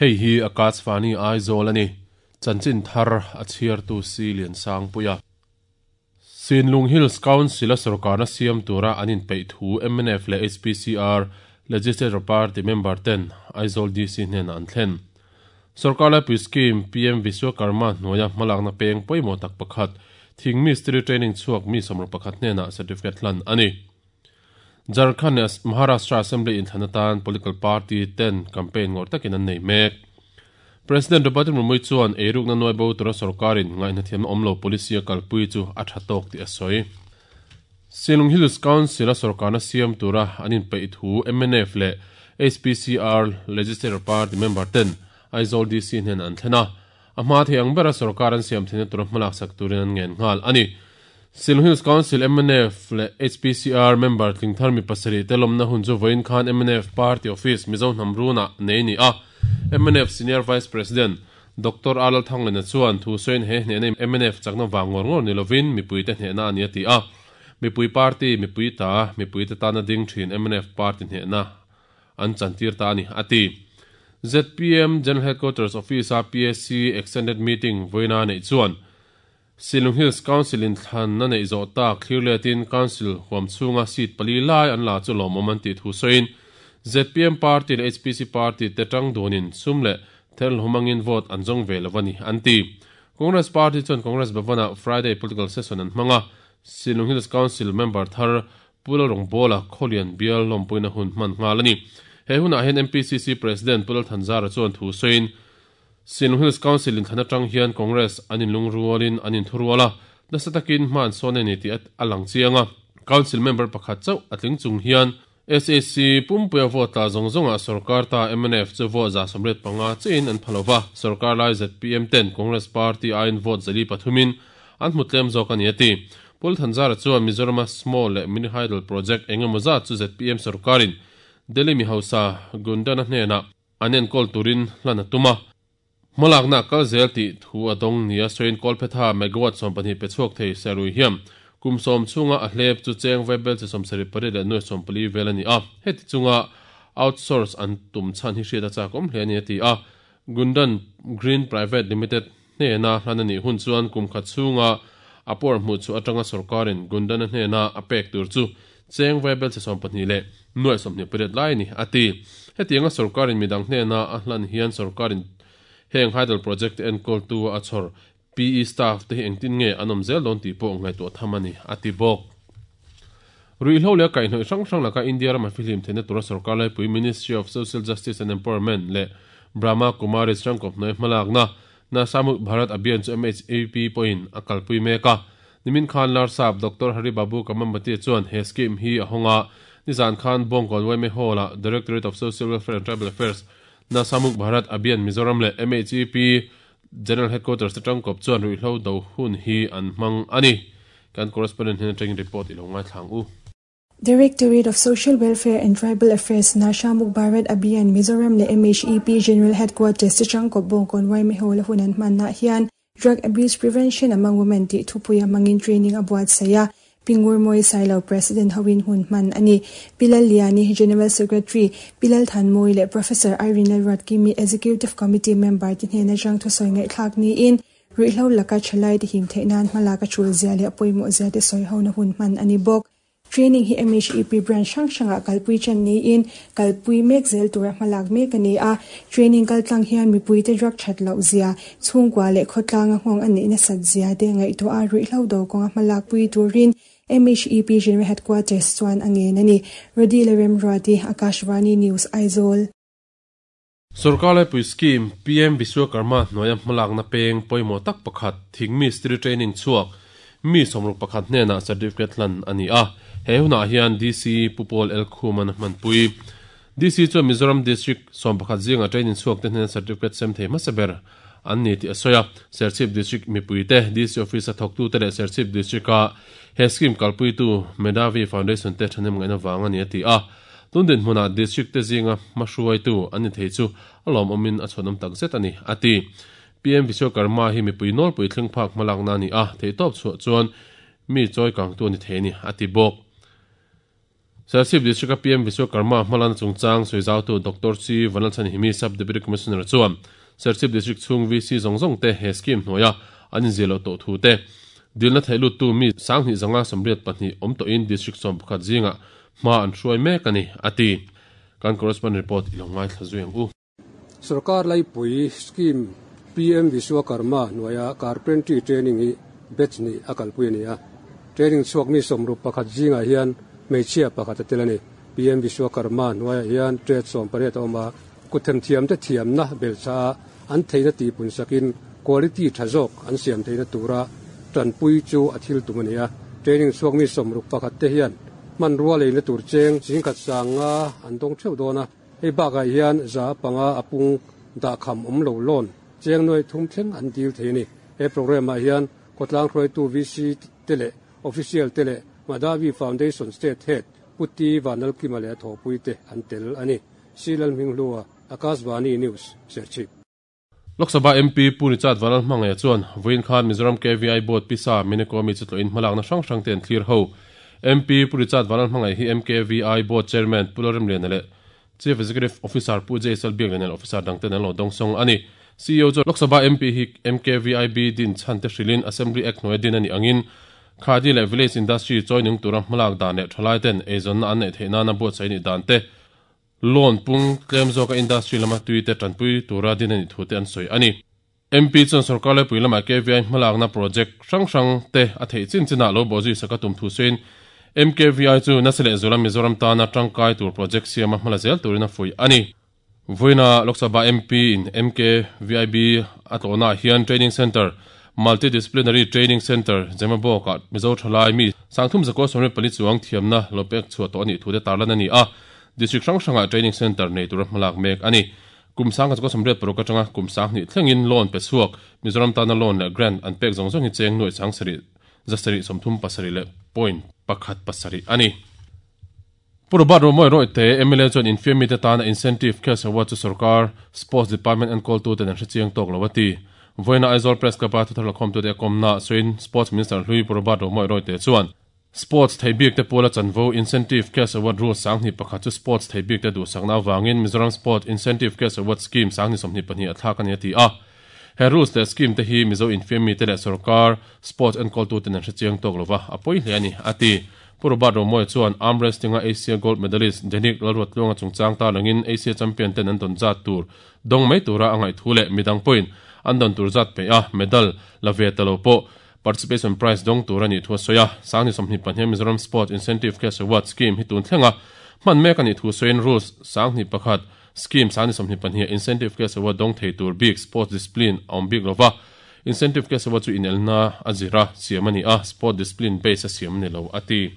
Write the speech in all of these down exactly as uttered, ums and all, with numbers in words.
Hei hi Akashvani Aizawl ani. Chanchin thar a chhiartu si lian sang puia. Sinlung Hills Council a sarkar na siam tura anin peih thu M N F leh H P C R Legislature Party member ten Aizawl D C hnen an thlen. Sarkar laipui scheme P M Vishwakarma hnuaia hmalakna peng pawimawh tak pakhat thing mistri training chhuak mi sawmruk pakhat hnenah certificate hlan ani. Jharkhand leh Maharashtra Assembly inthlana political party ten campaign ngawr takin an nei mek. President Draupadi Murmu chuan eiruk na nuai bo tura sarkarin ngaihna thiam awmlo policy a kalpui chu a tha tawk tih a sawi. Sinlung Hills Council a sarkarna siam tura anin peih thu M N F leh H P C R Legislature Party member ten Aizawl D C hnen an thlena. A hma thei ang bera sarkar an siam theihna tura hmalak sak turin an ngen nghal ani. Sinlung Hills Council M N F leh H P C R member tlingthar mi pasarih te lawmna hun chu vawiin khan M N F Party Office Mizo Hnamruna nei ni a. M N F Senior Vice President Doctor Alal Thanglena chuan thu sawiin he hnehna M N F chakna wang ngawr ngawr ni lovin mipui te hnehna ani a ti a. Mipui party mipui ta mipui te tana ding thin M N F party hnehna an chantir ta ani a ti. Z P M General Headquarters Office a P A C Extended Meeting vawiina nei chuan Sinlung Hills Council in thlan na nei zawh tak clear letin Council huam chhunga seat pali lai an la chu lawmawm an tih thu sawiin Z P M Party leh H P C Party te tang dunin sum leh thel humangin vote an zawng ve lovani an ti. Congress Party chuan Congress Bhavana Friday political session an hmanga Sinlung Hills Council member thar Pulal Rongbola Khawlian bial lawmpuina hun hman nghal ani. He hunah hian M P C C President Pulal Thanzara chuan thu sawiin Sinlung Hills Council in thlana tang hian Congress anin lungrualin anin thuruala nasa takin hman sawn ani tih a lang chianga. Council member pakhat chauh a tling chung hian S A C pumpuia vote la zawng zawnga sarkar ta M N F chu vote za sawmriat panga chiin an phalova sarkar lai Z P M ten Congress Party aiin vote zali pathumin an hmu tlem zawk ani a ti. Pul Thanzara chuan Mizoram small leh mini hydel project engemaw zat chu Z P M sarkarin Delhi mi hausa Gundana hnena an enkawl turin hlan a tuma. Hmalakna kal zel tih thu a dawng nia sawiin Kolphetha megawatt sawm pahnih pe chhuak thei serui hiam kum sawm chhunga a hlep chu cheng vaibel chi sawm sarih pariat leh nuai sawm pali vel ani a. Heti chunga outsource an tum chhan hi hriat a chak awm hle ani a ti a. Gundan Green Private Limited hnena hlan ani hun chuan kum khat chhunga a por hmu chu atanga sarkarin Gundana hnena a pek tur chu cheng vaibel chi sawm pahnih leh nuai sawmhnih pariat lai ni a ti. Hetianga sarkarin midang hnena a hlan hian sarkarin heng hydel project enkawl tu a chhawr P E staff te hi engtin nge an awm zel dawn tih pawh ngaihtuah tham ani a ti bawk. Ruihhlo leh kaihhnawih hrang hrang laka India rama fihlim theihna tura sarkar laipui Ministry of Social Justice and Empowerment leh Brahma Kumaris rangkawp hnuai hmalakna Nasha Mukt Bharat Abhiyan chu M H A P pawhin a kalpui mek a. Nimin Khan Larsap Doctor Hari Babu Kamambati chuan he scheme hi a hawnga nizan khan Bawngkawn Waime Hall a Directorate of Social Welfare and Tribal Affairs Nasha Mukt Bharat Abhiyan Mizoram leh M H A P General Headquarters te tangkawp chuan ruihhlo do hun hi an hmang ani. Kan correspondent hian atangin report ilo ngai thlang u. Directorate of Social Welfare and Tribal Affairs Nasha Mukt Bharat Abhiyan Mizoram leh M H E P General Headquarters te tangkawp Bawngkawn Waime Hall a hun an hmanna hian Drug Abuse Prevention Among Women tih thupuia hmangin training a buatsaih a. Pingur Moi Sailo President Hawin Hun Man ani Pilal Liani General Secretary Pilal Thanmoi le Professor Irene Lalruatkimi Executive Committee member ti hnena jang thu sawi ngai thlak ni in ruihhlo laka thalai ti him theihnan hmalaka thul zia leh pawimawh zia te sawi ho na hun man ani bawk. Training hi M H E P branch hrang hranga kalpui chan ni in kalpui mek zel tura hmalak mek ani a. Training kaltlang hian mipui te drug that loh zia chhungkua leh khawtlanga nghawng ani na sat zia te ngaihtuah a ruihhlo do kawnga hmalak pui turin M H E P General Headquarters chuan a ngen ani. Rodi Leremruati, Akashvani News, Aizawl. Sarkar laipui scheme P M Vishwakarma hnuaia hmalakna peng pawimawh tak pakhat thing mistri training chhuak mi sawmruk pakhat hnenah certificate hlan ani a. He hunah hian D C Pupol El Khuman hmanpui. D C chuan Mizoram District sawm pakhat zinga training chhuak te hnena certificate sem thei hmasa ber an ni tih a sawi a. Serchhip District mipui te D C Office a thawktu te leh Serchhip District a he scheme kalpui tu Medavi Foundation te thanem ngaihna wang ani a ti a. Tundin hmunah district te zinga hmahruai tu an ni thei chu a lawm awmin a chhawnawm tak zet ani a ti. P M Vishwakarma hi mipui nawlpui thleng phak hmalakna ani a thei tawp chhuah chuan mi chawi kang tu ani thei ani a ti bawk. Serchhip District P M Vishwakarma hmalakna chungchang sawi Doctor C Vanlalchhan Himi Sub Deputy Commissioner chuan Serchhip District chhung V C zawng zawng te he scheme hnuaia an inziah loh tawh thu te dilna theih lut tu mi sanghnih zanga sawmriat pahnih awm tawhin district sawm pakhat zingah hma an hruai mek ani ati kan correspondent report ilo ngai thla zui ang u. Sarkar laipui scheme P M Vishwakarma hnuaia carpentry training hi batch ni a kalpui ani a. Training chhuak mi sawmruk pakhat zingah hian hmeichhia pakhat a tel ani. P M Vishwakarma hnuaiah hian trade sawm pariat a awm a, kuthem thiam te thiamna belchha a an theihna tihpun sakin quality tha zawk an siam theihna tura tanpui chu a thil tum ani a. Training chhuak mi sawmruk pakhat te hian hman rua leina tur cheng zingkhat sanga an dawng theuh dawn a. Hei bakah hian za panga a pung dah kham awm lo loan cheng nuai thum thleng an dil thei ani. He program ah hian khawtlang hruaitu V C te leh official te leh Madavi Foundation State Head Puti Vanlalkima leh thawpui te an tel ani. Silal Hminghlua, Akashvani News, Serchhip. Lok Sabha M P Pu Richard Vanlalhmangaih chuan vawiin khan Mizoram K V I Board Pisa Minekomi chu tlawhin hmalakna hrang hrang te an thlir ho. M P Pu Richard Vanlalhmangaih hi M K V I Board Chairman Pu Lalremliana leh Chief Executive Officer Pu Jaisal Biaklian leh Officer dangten an lo dawngsawng ani. C E O chu Lok Sabha M P hi M K V I B din chhan te hrilin Assembly Act hnuai din ani angin Khadi leh Village Industry choinung tura hmalak dan leh thalai ten eizawnna an neih theih nana buatsaih ni dan te loan pung tlem zawka industry lama tui te tanpui tura din ani thu te an sawi ani. M P chuan sarkar laipui lama K V I hmalakna project hrang hrang te a theih chin chinah lo bawhzui saka tum thu sawiin M K V I chu nasa leh zula Mizoram tana tangkai tur project siama hmala zel turin a fui ani. Vawiina Lok Sabha M P in M K V I B a tlawhnaah hian training center Multidisciplinary Training Center Zemabawkah Mizo thalai mi sangthum zakua sawmriat pali chuang thiamna lo pek chhuah tawh ani thu te tarlan ani a. District hrang hrangah training center nei tura hmalak mek ani. Kum sangkhat zakua sawmriat paruk atanga kum sanghnih thlengin loan pe chhuak Mizoram tana loan leh grant an pek zawng zawng hi cheng nuai chang sarih zasarih sawmthum pasarih leh point pakhat pasarih ani. Purubat Romoi Roy te M L A chuan infiammi te tana incentive cash award chu sarkar Sports Department an call tu ten an hrechiang tawk lo ati. Vawiina Aizawl Press Club a thuthar lakhawm tu te a kawmna sawiin Sports Minister Hlui Purubat Romoi Roy te chuan Sports theibik te pawla chanvo incentive cash award rule sanghnih pakhat chu sports theibik te duhsakna awangin Mizoram Sport Incentive Cash Award Scheme sanghnih sawmhnih pahnih a thlak ani ati a. He rules leh scheme te hi Mizo infiammi te leh sarkar sports enkawl tu ten an hrechiang tawk lova a pawi hle ani ati. Purubat Romoi chuan arm wrestling a Asia gold medalist Denik Lalruatluanga chungchang ta langin Asia champion ten an don zat tur dong mai tura angai thu leh midang point an don tur zat pe a medal la ve talo po participation prize dong tur ani thu soya sangni sawmhnih pahnih Mizoram Sport Incentive Cash Award Scheme hi tun thlenga hman mek ani thu soin rules sangni pakhat scheme sangni sawmhnih pahnih incentive cash award dong thei tur big sports discipline awm bik lova incentive cash award chu inelna azira siam ani a sport discipline base a siam ni lo ati.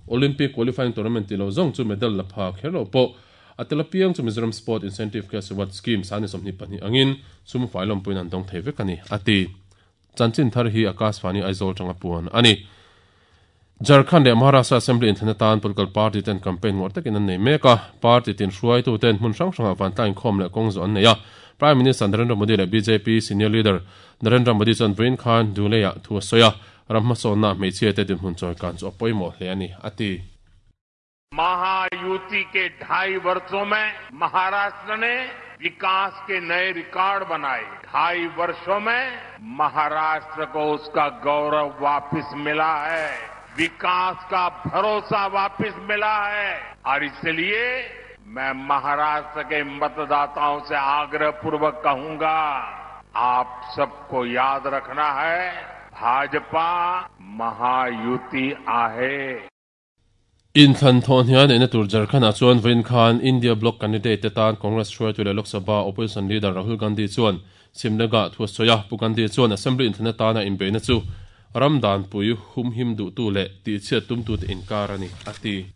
Olympic qualifying tournament lo zong chu medal la pha khero po atela piang chu Mizoram Sport Incentive Cash Award Scheme sangni sawmhnih pahnih angin sum failom puin an dong thei vek ani ati. Chanchin thar hi Akashvani Aizawl tanga puan ani. Jharkhand leh Maharashtra Assembly inthlana political party ten campaign ngawr takin an nei mek a. Party tin hruaitu ten hmun hrang hrangah vantlang inkhawm leh kawng zawh an nei a. Prime Minister Narendra Modi leh B J P senior leader Narendra Modi chuan vawiin khan Duleia thu a sawi a. Ram hmasawnna hmeichhia te dinhmun chawi kan chu a pawimawh hle ani ati. Mahayuti के ढाई वर्षों में महाराष्ट्र ने विकास के नए रिकॉर्ड बनाए। ढाई वर्षों में महाराष्ट्र को उसका गौरव वापस मिला है, विकास का भरोसा वापस मिला है और इसलिए मैं महाराष्ट्र के मतदाताओं से आग्रह पूर्वक कहूंगा, आप सबको याद रखना है, भाजपा महायुति आहे। In thlan thawh hian ena tur Jharkhand-ah chuan vawiin khan India Bloc candidate te tan Congress hruaitu leh Lok Sabha opposition leader Rahul Gandhi chuan Simnaga thu a sawi a. Pu Gandhi chuan assembly inthlana tana inbeihna chu ramdan pui hum him duh tu leh tihchhiat tum tu te inkar ani ati.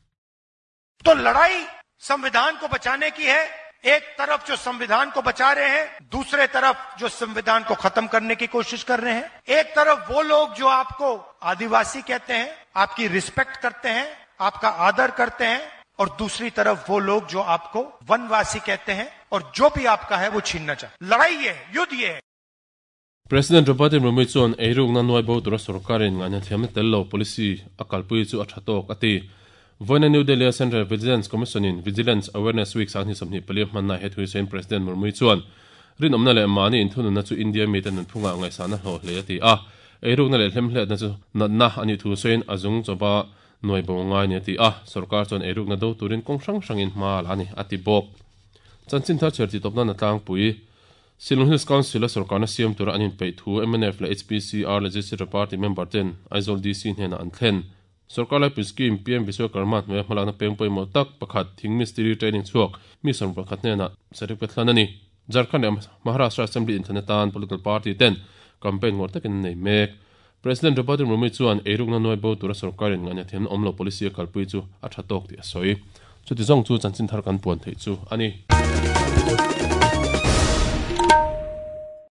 तो लड़ाई संविधान को बचाने की है। एक तरफ जो संविधान को बचा रहे हैं, दूसरे तरफ जो संविधान को खत्म करने की कोशिश कर रहे हैं। एक तरफ वो लोग जो आपको आदिवासी कहते हैं, आपकी रिस्पेक्ट करते हैं, आपका आदर करते हैं, और दूसरी तरफ वो लोग जो आपको वनवासी कहते हैं और जो भी आपका है वो छीनना चाहते। लड़ाई ये है, युद्ध ये है। President Draupadi Murmu chuan eirukna nuai bo tura sarkarin ngaihna thiamna tel lo policy a kalpui chu a tha tawk ati. Voina New Delhi Central Vigilance Commission in Vigilance Awareness Week sang ni somni pali manna he thui sen President Murmu chuan rin omna le mani in thunun na chu India mi ten phunga ngai sana hlo hle ati a eiruk na le hlemhle na chu na na ani thu sen azung choba noi bo ngai ni ti a sarkar chuan eiruk na do turin kong sang sangin ma la ni ati bok chanchin thar cherti topna na tlang pui Shillong Hills Council sarkar na siam tura anin pei thu M N F la H P C R Legislative Party member ten Aizawl D C hnena an thlen sarkar lai pu scheme P M Vishwakarma hnuaia hmalakna peng pawimawh tak pakhat thing mistiri training chhuak mi sawm pakhat hnena certificate hlan ani Jharkhand leh Maharashtra Assembly inthlan atan political party ten campaign ngawr takin an nei mek President Draupadi Murmu chuan eirukna nuai bo tura sarkarin ngania thiam awm lo policy a kalpui chu a tha tawk tih a sawi chuti zawng chu chanchin thar kan puan theih chu ani.